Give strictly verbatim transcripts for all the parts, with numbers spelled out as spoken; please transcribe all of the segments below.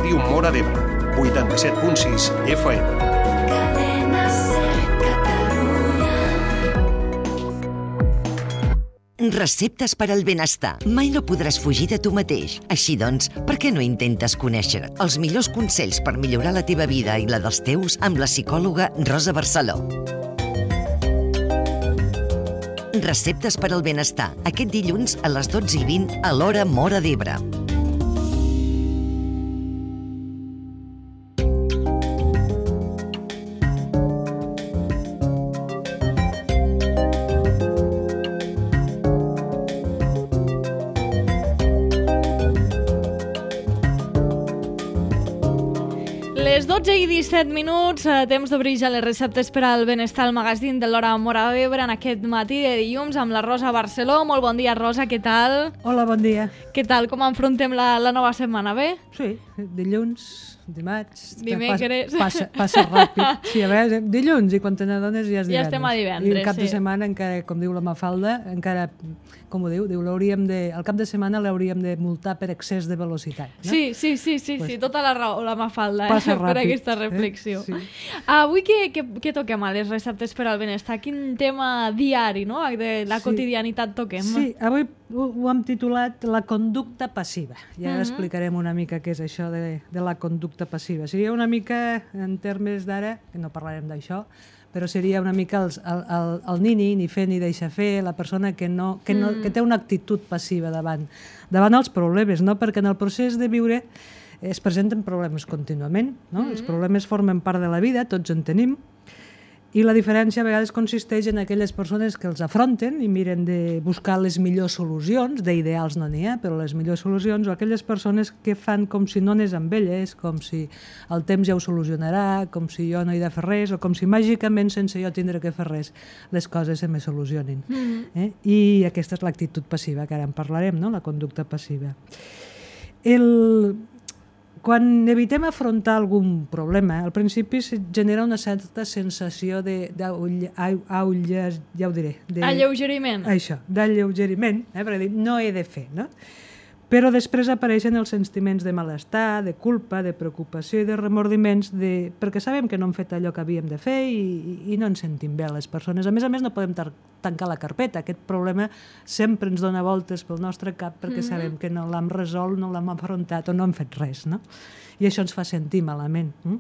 Ràdio Móra d'Ebre, vuitanta-set punt sis F M. Cadena Ser Catalunya. Receptes per al benestar. Mai no podràs fugir de tu mateix. Així doncs, per què no intentes conèixer els millors consells per millorar la teva vida i la dels teus amb la psicòloga Rosa Barceló? Receptes per al benestar, aquest dilluns a les dotze i vint a l'Hora Móra d'Ebre. Les dotze i disset minuts, temps d'obrir ja les receptes per al benestar al magazín de l'Hora Móra d'Ebre en aquest matí de dilluns amb la Rosa Barceló. Molt bon dia, Rosa, què tal? Hola, bon dia. Què tal? Com enfrontem la, la nova setmana, bé? Sí, dilluns, dimarts... Dimecres. Passa, passa ràpid. Sí, a veure, dilluns, i quan te n'adones ja és divendres. Ja estem a divendres, I el cap sí. de setmana encara, com diu la Mafalda, encara, com ho diu, diu l'hauríem de, el cap de setmana l'hauríem de multar per excés de velocitat. No? Sí, sí, sí, sí, Pues, sí, tota la raó, la Mafalda, eh, passa per ràpid, aquesta eh? reflexió. Sí. Avui què, què, què toquem a les receptes per al benestar? Quin tema diari, no?, de la Sí. quotidianitat toquem? Sí, avui ho, ho hem titulat la conducta passiva. I ara Mhm. explicarem una mica què és això de, de la conducta passiva. Seria una mica, en termes d'ara, que no parlarem d'això, però seria una mica els, el, el, el nini, ni fer ni deixar fer, la persona que, no, que, no, Mm. que té una actitud passiva davant, davant els problemes, no? Perquè en el procés de viure es presenten problemes contínuament, no? Mm. Els problemes formen part de la vida, tots en tenim, i la diferència a vegades consisteix en aquelles persones que els afronten i miren de buscar les millors solucions, d'ideals no n'hi ha, però les millors solucions, o aquelles persones que fan com si no anés amb elles, com si el temps ja ho solucionarà, com si jo no he de fer res, o com si màgicament sense jo tindre que fer res les coses se me solucionin. Mhm. Eh? I aquesta és l'actitud passiva, que ara en parlarem, no? La conducta passiva. El... Quan evitem afrontar algun problema, al principi se genera una certa sensació de, d'aull- au- aulle- ja ho diré, de, Alleugeriment. això, d'alleugeriment, eh? Perquè dic, no he de fer, no? Però després apareixen els sentiments de malestar, de culpa, de preocupació i de remordiments, de... perquè sabem que no hem fet allò que havíem de fer i, i, i no ens sentim bé les persones. A més a més, no podem tar- tancar la carpeta. Aquest problema sempre ens dona voltes pel nostre cap perquè Mhm. sabem que no l'hem resolt, no l'hem afrontat o no hem fet res, no? I això ens fa sentir malament. Mm?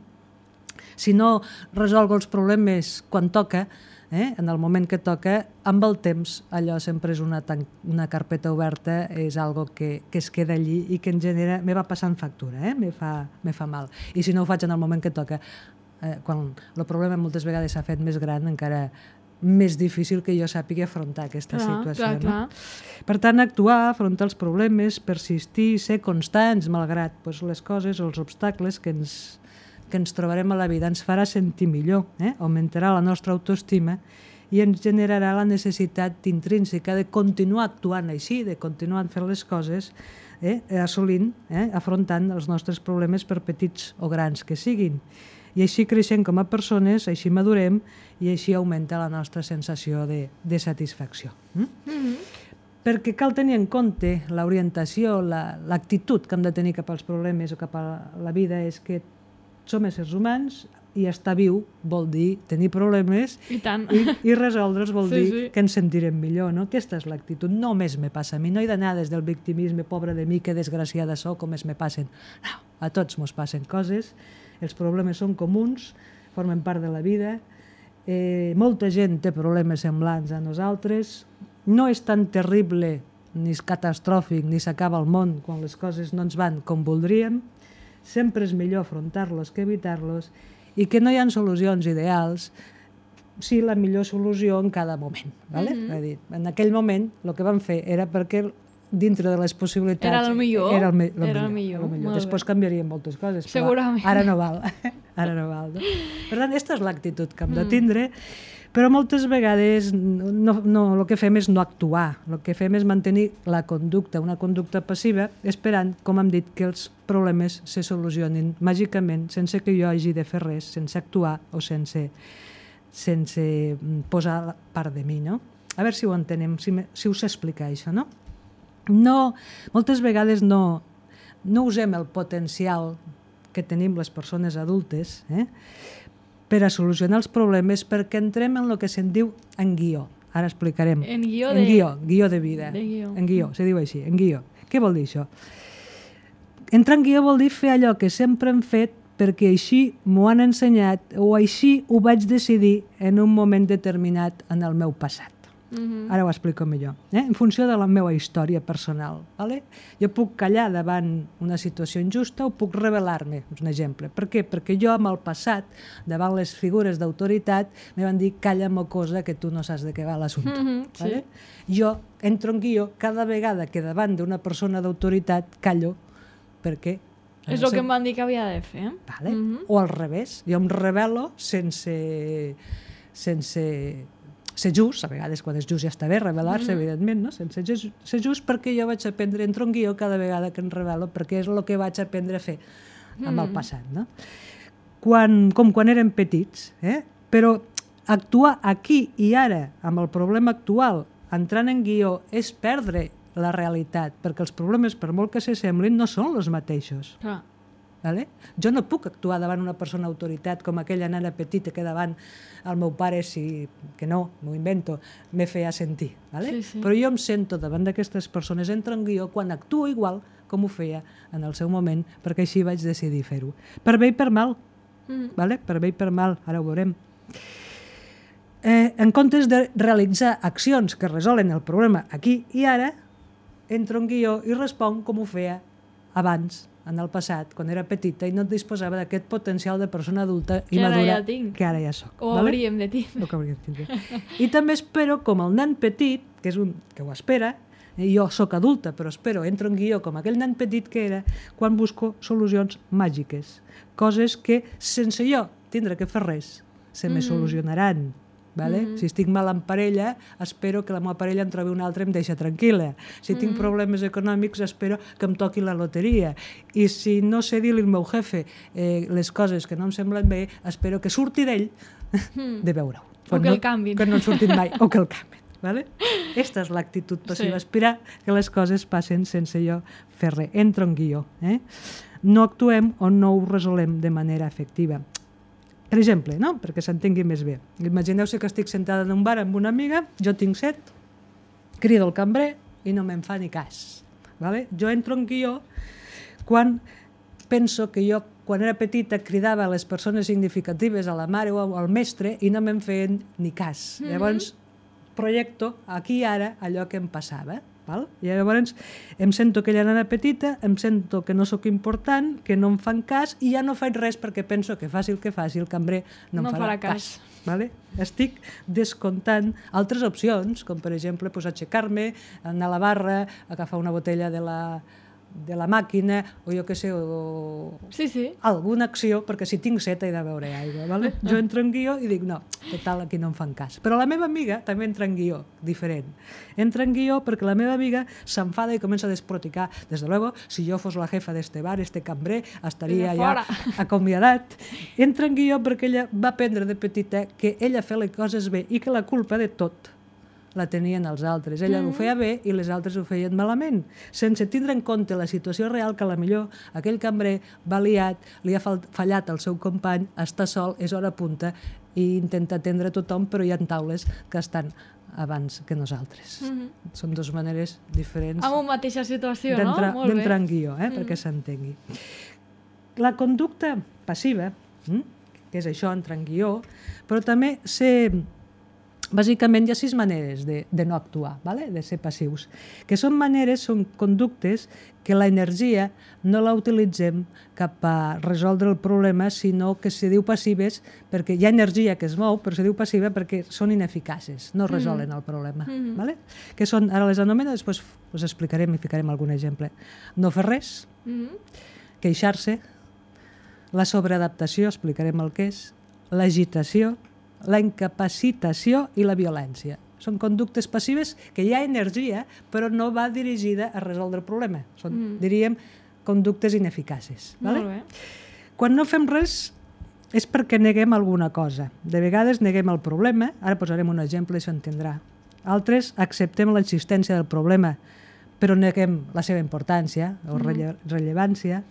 Si no resolgo els problemes quan toca, eh? En el moment que toca, amb el temps, allò sempre és una, tan- una carpeta oberta, és algo que, que es queda allí i que en genera, me va passant factura, eh? me, fa, me fa mal. I si no ho faig en el moment que toca, eh, quan el problema moltes vegades s'ha fet més gran, encara més difícil que jo sàpiga afrontar aquesta Clar, situació. clar, no? clar. Per tant, actuar, afrontar els problemes, persistir, ser constants, malgrat pues, les coses o els obstacles que ens, que ens trobarem a la vida, ens farà sentir millor, eh? Augmentarà la nostra autoestima i ens generarà la necessitat intrínseca de continuar actuant així, de continuar fent les coses, eh? assolint, eh? afrontant els nostres problemes per petits o grans que siguin. I així creixem com a persones, així madurem i així augmenta la nostra sensació de, de satisfacció. Mm? Mhm. Perquè cal tenir en compte l'orientació, la, l'actitud que hem de tenir cap als problemes o cap a la vida és que som éssers humans i estar viu vol dir tenir problemes I tant. i, i resoldre'ls vol Sí, dir sí. que ens sentirem millor, no? Aquesta és l'actitud. Només me passa a mi, no he d'anar des del victimisme, pobre de mi, que desgraciada sóc, com es me passen. No, a tots mos passen coses, els problemes són comuns, formen part de la vida, eh, molta gent té problemes semblants a nosaltres, no és tan terrible ni és catastròfic ni s'acaba el món quan les coses no ens van com voldríem, sempre és millor afrontar-los que evitar-los i que no hi ha solucions ideals, sí la millor solució en cada moment. ¿Vale? Mhm. És a dir, en aquell moment el que vam fer era perquè dintre de les possibilitats... Era el millor, Era el, me lo era el millor, millor, el molt bé. Després canviarien moltes coses, però Segurament. ara no val. Ara no val. No? Per tant, aquesta és l'actitud que hem de Mm. tindre, però moltes vegades no, no, el que fem és no actuar, el que fem és mantenir la conducta, una conducta passiva, esperant, com hem dit, que els problemes se solucionin màgicament, sense que jo hagi de fer res, sense actuar o sense, sense posar part de mi, no? A veure si ho entenem, si, me, si us explica això, no? No, moltes vegades no, no usem el potencial que tenim les persones adultes, eh? per a solucionar els problemes, perquè entrem en el que se'n diu en guió. Ara explicarem. En guió en de... guió, guió de vida. De guió. En guió, se diu així, en guió. Què vol dir això? Entrar en guió vol dir fer allò que sempre hem fet perquè així m'ho han ensenyat o així ho vaig decidir en un moment determinat en el meu passat. Mhm. Ara ho explico millor. Eh? En funció de la meva història personal. Vale? Jo puc callar davant una situació injusta o puc rebel·lar-me, és un exemple. Per què? Perquè jo, amb el passat, davant les figures d'autoritat, me van dir, calla, mocosa, que tu no saps de què va l'assumpte. Mhm, sí. Vale? Jo entro en guió cada vegada que davant d'una persona d'autoritat callo, perquè... És el que em van dir que havia de fer. Vale? Mhm. O al revés, jo em rebel·lo sense... sense ser just, a vegades quan és just ja està bé rebel·lar-se, mm. evidentment, no? Sense ser just, perquè jo vaig aprendre, entro en guió cada vegada que em rebel·lo, perquè és el que vaig aprendre a fer amb el passat, no? Quan, com quan érem petits, eh? Però actuar aquí i ara amb el problema actual, entrant en guió, és perdre la realitat, perquè els problemes, per molt que s'assemblin, no són els mateixos. Clar. Vale? Jo no puc actuar davant una persona autoritat com aquella nana petita que davant el meu pare, si, que no, m'ho invento, me feia sentir. Vale? Sí, sí. Però jo em sento davant d'aquestes persones, entro en guió quan actuo igual com ho feia en el seu moment, perquè així vaig decidir fer-ho. Per bé i per mal. Mm. Vale? Per bé i per mal, ara ho veurem. Eh, en comptes de realitzar accions que resolen el problema aquí i ara, entro en guió i responc com ho feia abans, en el passat, quan era petita i no disposava d'aquest potencial de persona adulta i Que ara madura ja tinc. que ara ja soc. O vale? hauríem de tindre. O que hauríem de tindre. I també espero, com el nen petit, que és un que ho espera, eh, jo sóc adulta, però espero, entro en guió com aquell nen petit que era, quan busco solucions màgiques. Coses que, sense jo tindre que fer res, se me Mhm. solucionaran. Vale? Mhm. Si estic mal en parella, espero que la meva parella em trobi una altra i em deixa tranquil·la. Si tinc problemes econòmics, espero que em toqui la loteria. I si no sé dir-li al meu jefe eh, les coses que no em semblen bé, espero que surti d'ell de veure-ho. O que no, el canviïn. Que no en surtin mai, o que el canviïn. Vale? Esta és l'actitud passiva, Sí. aspirar que les coses passen sense jo fer res. Entro en guió. Eh? No actuem o no ho resolem de manera efectiva. Per exemple, no? Perquè s'entengui més bé. Imagineu-se que estic sentada en un bar amb una amiga, jo tinc set, crido el cambrer i no me'n fa ni cas. Vale? Jo entro en guió quan penso que jo, quan era petita, cridava a les persones significatives, a la mare o al mestre, i no me'n feien ni cas. Mm -hmm. Llavors, projecto aquí i ara allò que em passava. Val? I llavors em sento aquella nena petita, em sento que no sóc important, que no em fan cas i ja no faig res perquè penso que faci el que faci el cambrer no, No em farà farà, cas. cas. Vale? Estic descomptant altres opcions, com per exemple pues, aixecar-me, anar a la barra, agafar una botella de la, de la màquina o jo què sé, o Sí, sí. alguna acció, perquè si tinc set he de beure aigua. Vale? Jo entro en guió i dic, no, total, aquí no em fan cas. Però la meva amiga també entra en guió, diferent. Entra en guió perquè la meva amiga s'enfada i comença a desproticar. Des de luego, si jo fos la jefa d'este bar, este cambrer, estaria Vinga, ja fora. acomiadat. Entra en guió perquè ella va aprendre de petita que ella feia les coses bé i que la culpa de tot la tenien els altres. Ella mm. ho feia bé i les altres ho feien malament, sense tindre en compte la situació real que a la millor aquell cambrer va liat, li ha fallat el seu company, està sol, és hora punta i intenta atendre tothom, però hi ha taules que estan abans que nosaltres. Mm -hmm. Són dues maneres diferents Amb una mateixa situació, no? d'entrar Molt bé. d'entrar en guió, eh, mm. perquè s'entengui. La conducta passiva, mm, que és això, entrar en guió, però també ser... Bàsicament hi ha sis maneres de, de no actuar, vale? De ser passius, que són maneres, són conductes que l'energia no la utilitzem cap a resoldre el problema, sinó que se diu passives perquè hi ha energia que es mou, però se diu passiva perquè són ineficaces, no resolen mm. el problema. Mm. Vale? Que són, ara les anomeno, després us explicarem i ficarem algun exemple. No fer res, mm. queixar-se, la sobreadaptació, explicarem el que és, l'agitació, la incapacitació i la violència. Són conductes passives que hi ha energia, però no va dirigida a resoldre el problema. Són, mm. diríem, conductes ineficaces. Vale? Molt bé. Quan no fem res és perquè neguem alguna cosa. De vegades neguem el problema, ara posarem un exemple i s'entendrà. Altres acceptem l'existència del problema, però neguem la seva importància o relle- rellevància.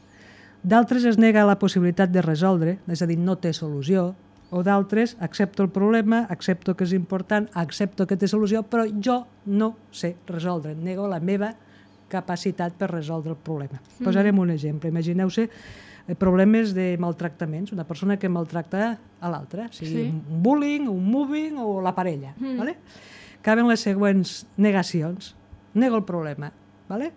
D'altres es nega la possibilitat de resoldre, és a dir, no té solució, o d'altres accepto el problema, accepto que és important, accepto que té solució, però jo no sé resoldre, nego la meva capacitat per resoldre el problema. Mm. Posarem un exemple. Imagineu-se problemes de maltractaments, una persona que maltracta a l'altra, sigui sí. un bullying, un moving o la parella. Mm. Vale? Caben les següents negacions. Nego el problema. Vale?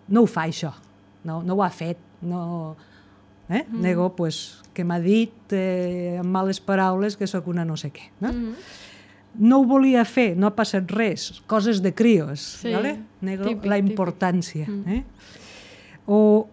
No ho fa, això. No, no ho ha fet. No... Eh? Mm. Nego pues, que m'ha dit eh, amb males paraules que sóc una no sé què. No? Mm. No ho volia fer, no ha passat res, coses de crios, sí, vale? Nego típic, la importància. Típic. Eh? O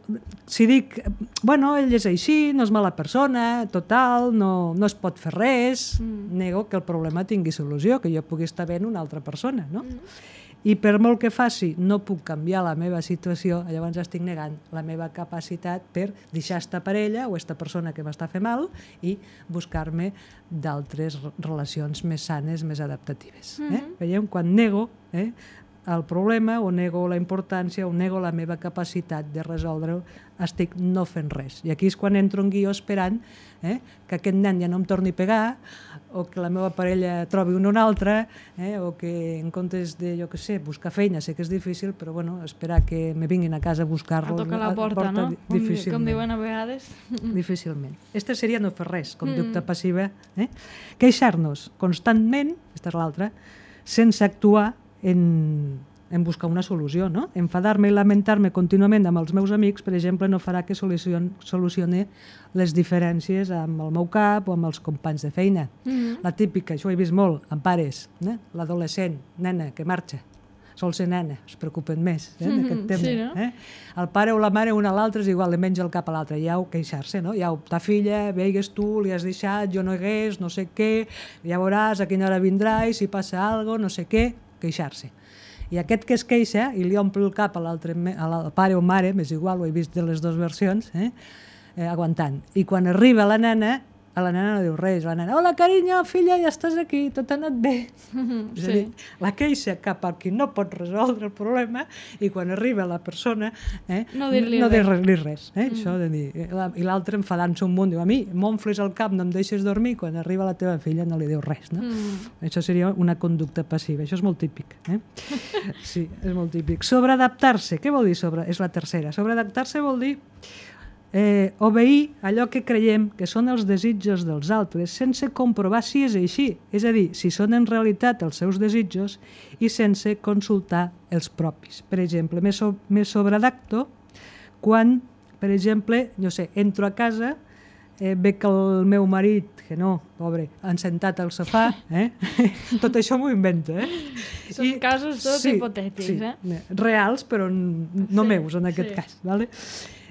si dic, bueno, ell és així, no és mala persona, total, no, no es pot fer res, mm. nego que el problema tingui solució, que jo pugui estar bé en una altra persona, no? Mm. I per molt que faci no puc canviar la meva situació, llavors estic negant la meva capacitat per deixar esta parella o esta persona que m'està fent mal i buscar-me d'altres relacions més sanes, més adaptatives. Mm-hmm. eh? Veiem? Quan nego eh, el problema o nego la importància o nego la meva capacitat de resoldre-ho, estic no fent res. I aquí és quan entro en guió esperant eh, que aquest nen ja no em torni a pegar o que la meva parella trobi un o un altre, eh, o que en comptes de, jo què sé, buscar feina, sé que és difícil, però bueno, esperar que me vinguin a casa a buscar-los... A tocar la porta, porta no? Difícilment. Com diuen a vegades. Difícilment. Esta seria no fer res, conducta mm. passiva. Eh? Queixar-nos constantment, aquesta és l'altra, sense actuar en... en buscar una solució, no? Enfadar-me i lamentar-me contínuament amb els meus amics, per exemple, no farà que solucion, solucione les diferències amb el meu cap o amb els companys de feina. Mm-hmm. La típica, això ho he vist molt, amb pares, eh? L'adolescent, nena, que marxa, sol ser nena, es preocupen més eh, mm-hmm. d'aquest tema. Sí, no? eh? El pare o la mare, un a l'altre, és igual, li menja el cap a l'altre, ja ho queixar-se, no? Ja ho, ta filla, veigues tu, li has deixat, jo no hagués, no sé què, ja veuràs a quina hora vindrà i si passa alguna cosa, no sé què, queixar-se. I aquest que es queixa i li omple el cap a l'altre, al pare o mare, m'és igual, ho he vist de les dues versions, eh? Eh, aguantant. I quan arriba la nena, a la nena no diu res, la nena, hola carinyo, filla, ja estàs aquí, tot ha anat bé. Mm-hmm, és a dir, sí. La queixa cap a qui no pot resoldre el problema i quan arriba la persona eh, no dir-li no res. dir res eh, mm. Això de dir, i l'altre enfadant-se un munt, diu, a mi m'omfles el cap, no em deixes dormir, quan arriba la teva filla no li diu res, no? Mm. Això seria una conducta passiva, això és molt típic, eh? Sí, és molt típic. Sobreadaptar-se, què vol dir sobre? És la tercera. Sobreadaptar-se vol dir Eh, obeir allò que creiem que són els desitjos dels altres sense comprovar si és així, és a dir, si són en realitat els seus desitjos i sense consultar els propis. Per exemple, me, so me sobreadapto quan, per exemple, no sé, entro a casa, eh, veig que el meu marit, que no, pobre, han sentat al sofà, eh? Tot això m'ho invento, eh? Són I, casos tots sí, hipotètics, sí, eh? Reals, però no sí, meus en aquest sí. cas, vale?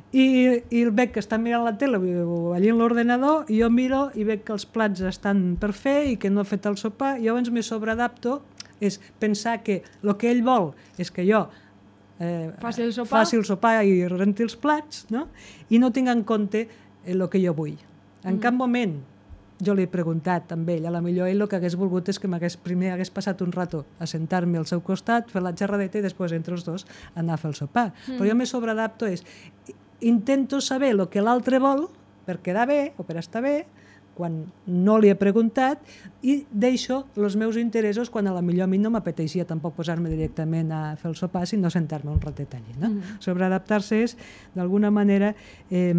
I, i el veig que està mirant la tele o allà en l'ordenador i jo miro i veig que els plats estan per fer i que no ha fet el sopar i llavors me sobreadapto, és pensar que el que ell vol és que jo eh, faci, el sopar. faci el sopar i renti els plats, no? I no tinc en compte el que jo vull. En mm. cap moment jo li he preguntat amb ell, a la millor ell el que hagués volgut és que m'hagués primer hagués passat un rato a sentar-me al seu costat, fer la xerradeta i després entre els dos anar a fer el sopar. Mm. Però jo me sobreadapto és intento saber el que l'altre vol per quedar bé o per estar bé quan no li he preguntat i deixo els meus interessos quan a la millor a mi no m'apeteixia tampoc posar-me directament a fer el sopar sinó sentar-me un ratet allí. No? Mm. Sobreadaptar-se és d'alguna manera eh,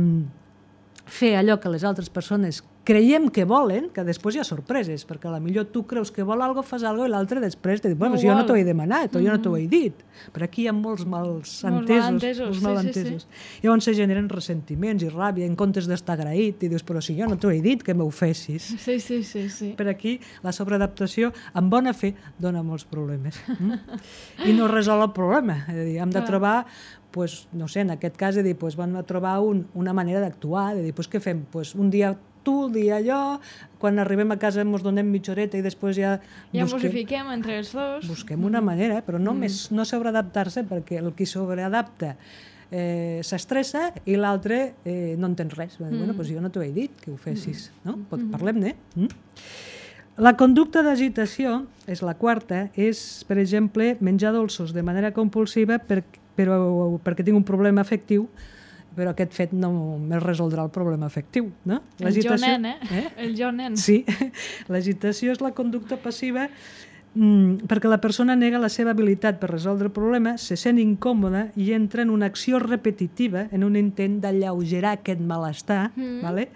fer allò que les altres persones creiem que volen, que després hi ha sorpreses, perquè a la millor tu creus que vol alguna cosa, fas alguna cosa i l'altre després te diu, bueno, no si jo no t'ho he demanat o mm. jo no t'ho he dit. Però aquí hi ha molts mals entesos. Molts malentesos. Sí, sí, sí. Llavors se generen ressentiments i ràbia en comptes d'estar agraït i dius, però si jo no t'ho he dit que m'ho fessis. Sí, sí, sí, sí. Per aquí la sobreadaptació amb bona fe dona molts problemes. Mm? I no resol el problema. És a dir, hem de trobar pues, no sé, en aquest cas, de dir, pues, vam trobar un, una manera d'actuar, de dir, pues, què fem? Pues, un dia tu, un dia jo, quan arribem a casa ens donem mitja horeta i després ja... Ja busquem, ens ho fiquem entre els dos. Busquem una manera, però no, mm. més, no sobreadaptar-se, perquè el qui sobreadapta eh, s'estressa i l'altre eh, no entén res. Mm. Bueno, pues jo no t'ho he dit, que ho fessis. No? Mm. Parlem-ne. Mm? La conducta d'agitació, és la quarta, és, per exemple, menjar dolços de manera compulsiva per, però, perquè tinc un problema afectiu però aquest fet no més resoldrà el problema afectiu, no? El jo nen, eh? eh? El jo nen. Sí, l'agitació és la conducta passiva mm, perquè la persona nega la seva habilitat per resoldre el problema, se sent incòmoda i entra en una acció repetitiva, en un intent d'alleugerar aquest malestar, mm. vale?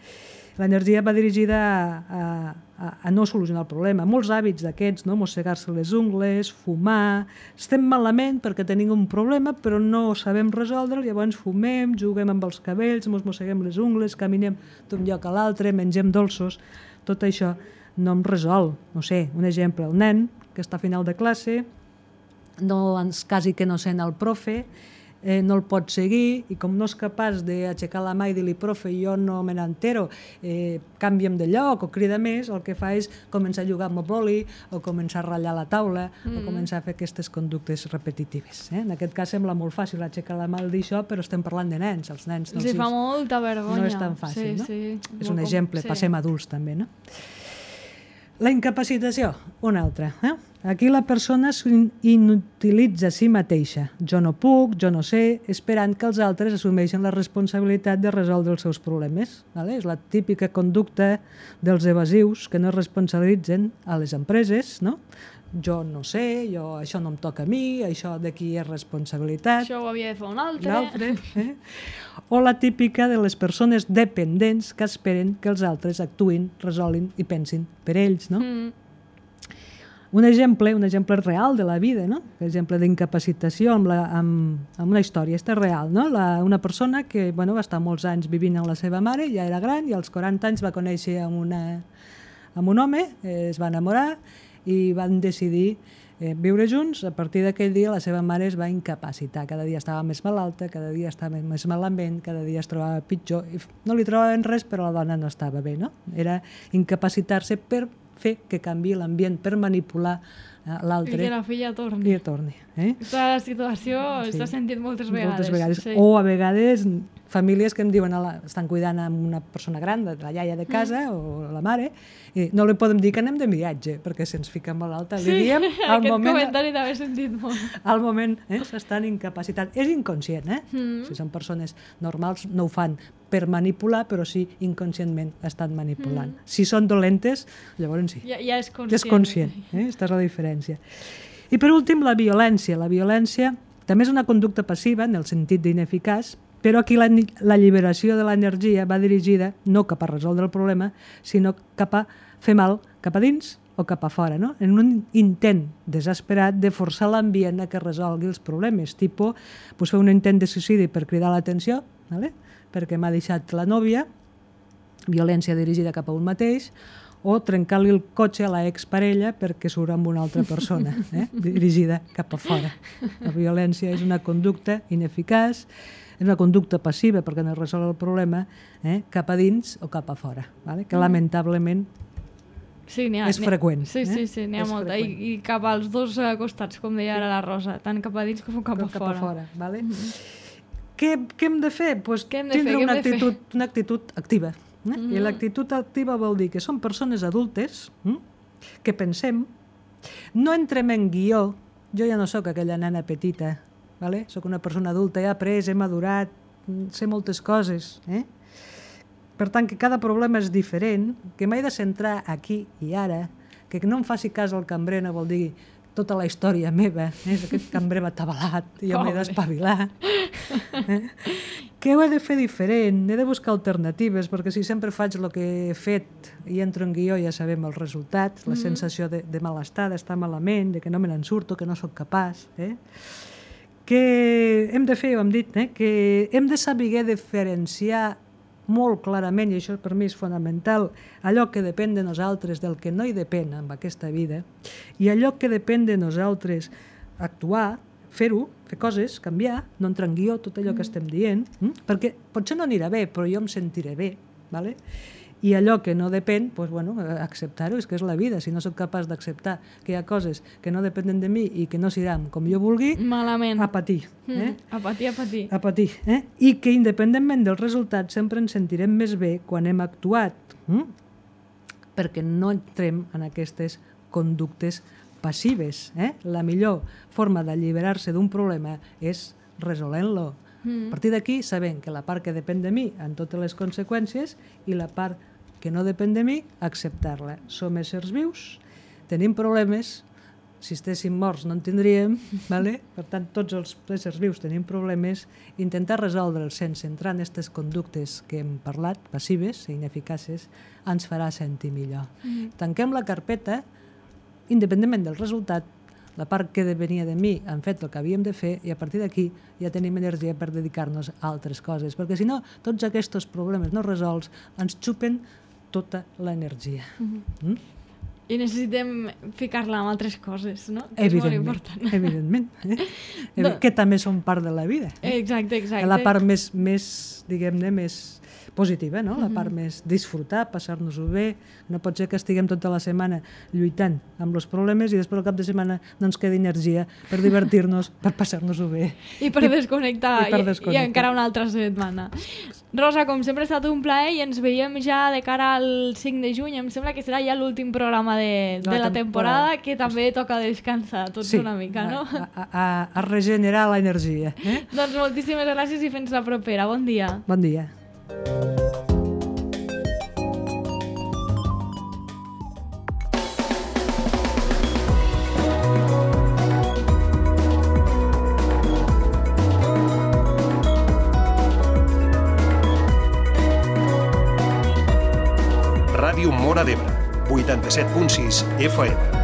L'energia va dirigida a, a, a no solucionar el problema. Molts hàbits d'aquests, no? Mossegar-se les ungles, fumar... Estem malament perquè tenim un problema però no sabem resoldre'l, llavors fumem, juguem amb els cabells, mos mosseguem les ungles, caminem d'un lloc a l'altre, mengem dolços... Tot això no em resol. No sé, un exemple, el nen que està a final de classe, no ens quasi que no sent el profe, Eh, no el pot seguir i com no és capaç d'aixecar la mà i dir-li profe, jo no me n'entero, eh, canvia'm de lloc o crida més, el que fa és començar a jugar amb el boli o començar a ratllar la taula mm. o començar a fer aquestes conductes repetitives. Eh? En aquest cas sembla molt fàcil aixecar la mà i dir això, però estem parlant de nens. Els nens no, els fa molta vergonya. No és tan fàcil, sí, no? Sí. És un Com, exemple, sí. passem adults també, no? La incapacitació, una altra. Eh? Aquí la persona inutilitza a si mateixa. Jo no puc, jo no sé, esperant que els altres assumeixen la responsabilitat de resoldre els seus problemes. Vale? És la típica conducta dels evasius que no es responsabilitzen a les empreses, no? Jo no sé, jo, això no em toca a mi, això de qui és responsabilitat. Això ho havia de fer un altre. L'altre, eh? O la típica de les persones dependents que esperen que els altres actuïn, resolguin i pensin per ells, no? Mm. Un exemple, un exemple real de la vida, no? Un exemple d'incapacitació amb, la, amb, amb una història, aquesta és real, no? La, una persona que bueno, va estar molts anys vivint amb la seva mare, ja era gran, i als quaranta anys va conèixer amb, una, amb un home, eh, es va enamorar, i van decidir eh, viure junts. A partir d'aquell dia la seva mare es va incapacitar, cada dia estava més malalta, cada dia estava més malament, cada dia es trobava pitjor, i no li trobaven res però la dona no estava bé, no? Era incapacitar-se per fer que canviï l'ambient, per manipular eh, l'altre. I que la filla torni. I torni. Eh? Aquesta situació Sí. s'ha sentit moltes vegades. Moltes vegades. Sí. O a vegades famílies que em diuen, la, estan cuidant amb una persona gran, de la iaia de casa mm. o la mare, i no li podem dir que anem de viatge, perquè si ens fiquem malalta li Sí, diem... Al aquest moment, comentari també he sentit molt. al moment eh, s'estan incapacitats. És inconscient, eh? Mm. Si són persones normals no ho fan per manipular, però sí inconscientment estan manipulant. Mm. Si són dolentes, llavors sí. Ja, ja és conscient. Ja és conscient, eh? Aquesta és la diferència. I per últim, la violència. La violència també és una conducta passiva, en el sentit d'ineficaç, però aquí la, la alliberació de l'energia va dirigida no cap a resoldre el problema, sinó cap a fer mal cap a dins o cap a fora, no? En un intent desesperat de forçar l'ambient a que resolgui els problemes, tipus pues, fer un intent de suïcidi per cridar l'atenció, ¿vale? Perquè m'ha deixat la nòvia, violència dirigida cap a un mateix, o trencar-li el cotxe a la exparella perquè surt amb una altra persona, eh? dirigida cap a fora. La violència és una conducta ineficaç, és una conducta passiva perquè no resol el problema, eh? cap a dins o cap a fora, vale? Que lamentablement sí, ha, és freqüent. Sí, sí, sí, n'hi ha és molta. I, I cap als dos uh, costats, com deia ara la Rosa, tant cap a dins com cap, com a cap fora. a fora. Vale? Mm-hmm. Què, què hem de fer? Pues Què hem de tindre fer? una Què hem de actitud, una actitud activa. Eh? Mm-hmm. I l'actitud activa vol dir que són persones adultes hm? que pensem, no entrem en guió, jo ja no sóc aquella nana petita, vale? Sóc una persona adulta, he après, he madurat, sé moltes coses. Eh? Per tant, que cada problema és diferent, que m'he de centrar aquí i ara, que no em faci cas al cambrer no vol dir tota la història meva, eh? Aquest cambrer va atabalat, i jo m'he d'espavilar. Eh? Que ho he de fer diferent, he de buscar alternatives, perquè si sempre faig el que he fet i entro en guió ja sabem els resultats, la sensació de, de malestar, d'estar malament, de que no me n'en surto, que no sóc capaç. Eh? Que hem de fer, ho hem dit, eh? Que hem de saber diferenciar molt clarament, i això per mi és fonamental, allò que depèn de nosaltres, del que no hi depèn en aquesta vida, i allò que depèn de nosaltres, actuar, fer-ho, fer coses, canviar, no entrar en guió, tot allò que estem dient, hm? Perquè potser no anirà bé, però jo em sentiré bé, ¿vale? I allò que no depèn, doncs, bueno, acceptar-ho, és que és la vida. Si no sóc capaç d'acceptar que hi ha coses que no depenen de mi i que no seran com jo vulgui, malament. a patir. Eh? Mm, a patir, a patir. A patir. Eh? I que independentment dels resultats sempre ens sentirem més bé quan hem actuat, hm? perquè no entrem en aquestes conductes passives. Eh? La millor forma d'alliberar-se d'un problema és resolent-lo, Mm. A partir d'aquí sabem que la part que depèn de mi en totes les conseqüències i la part que no depèn de mi, acceptar-la. Som éssers vius, tenim problemes, si estéssim morts no en tindríem, vale? Per tant, tots els éssers vius tenim problemes, intentar resoldre'ls sense entrar en aquestes conductes que hem parlat, passives i ineficaces, ens farà sentir millor. Mm. Tanquem la carpeta, independentment del resultat, la part que venia de mi hem fet el que havíem de fer i a partir d'aquí ja tenim energia per dedicar-nos a altres coses, perquè si no, tots aquests problemes no resolts ens xupen tota l'energia. Mm-hmm. Mm? I necessitem ficar-la en altres coses, no? Que és molt important. Evidentment. Eh? No. Que també són part de la vida. Eh? Exacte, exacte. La part més, més diguem-ne, més positiva, no? La part més disfrutar, passar-nos-ho bé. No pot ser que estiguem tota la setmana lluitant amb els problemes i després al cap de setmana no ens quedi energia per divertir-nos, per passar-nos-ho bé. I per desconnectar, i, per desconnectar. I, i encara una altra setmana. Rosa, com sempre ha estat un plaer i ens veiem ja de cara al cinc de juny. Em sembla que serà ja l'últim programa de, de la temporada, que també toca descansar tots sí, una mica, no? A, a, a regenerar l'energia. Eh? Doncs moltíssimes gràcies i fins la propera. Bon dia. Bon dia. Ràdio Móra d'Ebre, vuitanta-set punt sis F M.